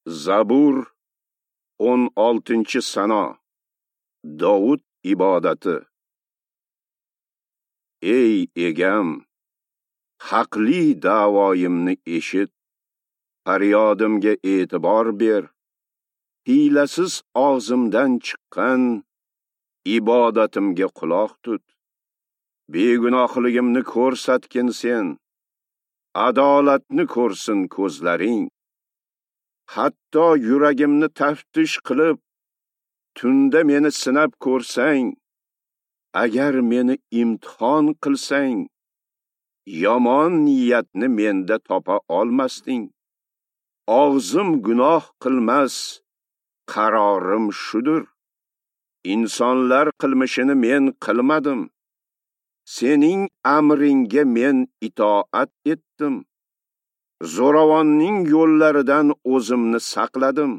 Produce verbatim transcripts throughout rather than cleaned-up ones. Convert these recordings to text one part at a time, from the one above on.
Zabur o'n oltinchi sano. Dovud ibodati. Ey egam, haqli da'voyimni eshit, faryodimga e'tibor ber. Hiylasiz og'zimdan chiqqan ibodatimga quloq tut. Begunohligimni ko'rsatgin sen, adolatni ko'rsin ko'zlaring. Hatto yuragimni taftish qilib, tunda meni sinab ko'rsang, agar meni imtihon qilsang, yomon niyatni menda topa olmasding. Og'zim gunoh qilmas, qarorim shudur. Insonlar qilmishini men qilmadim. Sening amringga men itoat etdim. Zo'ravonning yo'llaridan o'zimni saqladim.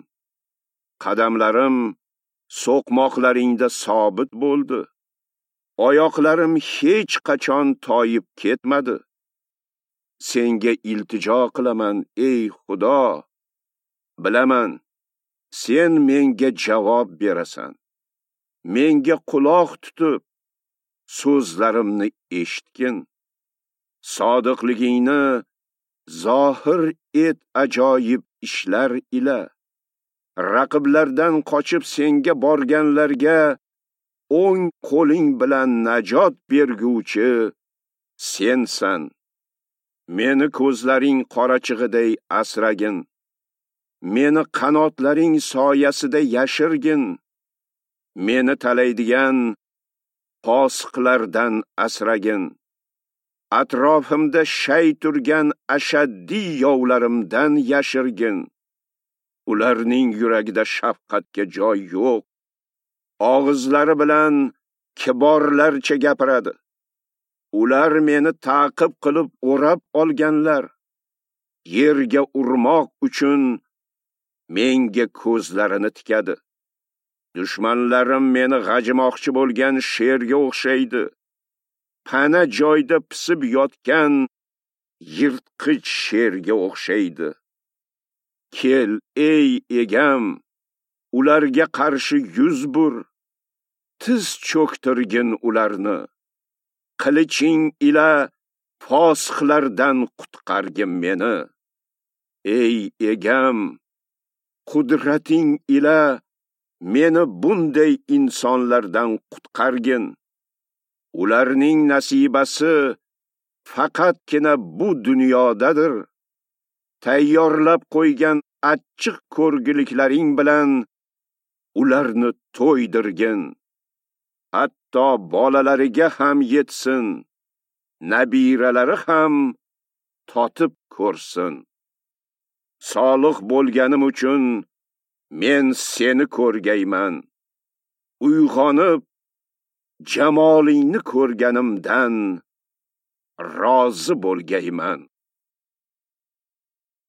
Qadamlarim so'qmoqlaringda sobit bo'ldi. Oyoqlarim hech qachon toyib ketmadi. Senga iltijo qilaman, ey Xudo. Bilaman, sen menga javob berasan. Menga quloq tutib, so'zlarimni eshitgin. Sodiqligingni zohir et ajoyib ishlar ila. Raqiblardan qochib senga borganlarga o'ng qo'ling bilan najot berguvchi sensan. Meni ko'zlaring qorachig'iday asragin. Meni qanotlaring soyasida yashirgin. Meni talaydigan fosiqlardan asragin. Atrofimda shay turgan ashaddiy yovlarimdan yashirgin. Ularning yuragida shafqatga joy yo'q. Og'izlari bilan kiborlarcha gapiradi. Ular meni ta'qib qilib o'rab olganlar. Yerga urmoq uchun menga ko'zlarini tikadi. Dushmanlarim meni g'ajimoqchi bo'lgan sherga o'xshaydi. Pana joyda pisib yotgan yirtqich sherga o'xshaydi. Kel, ey egam, ularga qarshi yuz bur. Tiz cho'ktirgin ularni. Qiliching ila fosiqlardan qutqargin meni. Ey egam, qudrating ila meni bunday insonlardan qutqargin. Ularning nasibasi faqatgina bu dunyodadir. Tayyorlab qo'ygan achchiq ko'rgiliklaring bilan ularni to'ydirgin. Hatto bolalariga ham yetsin, nabiralari ham totib ko'rsin. Solih bo'lganim uchun men seni ko'rgayman. Uyg'onib jamolingni ko'rganimdan rozi bo'lgayman.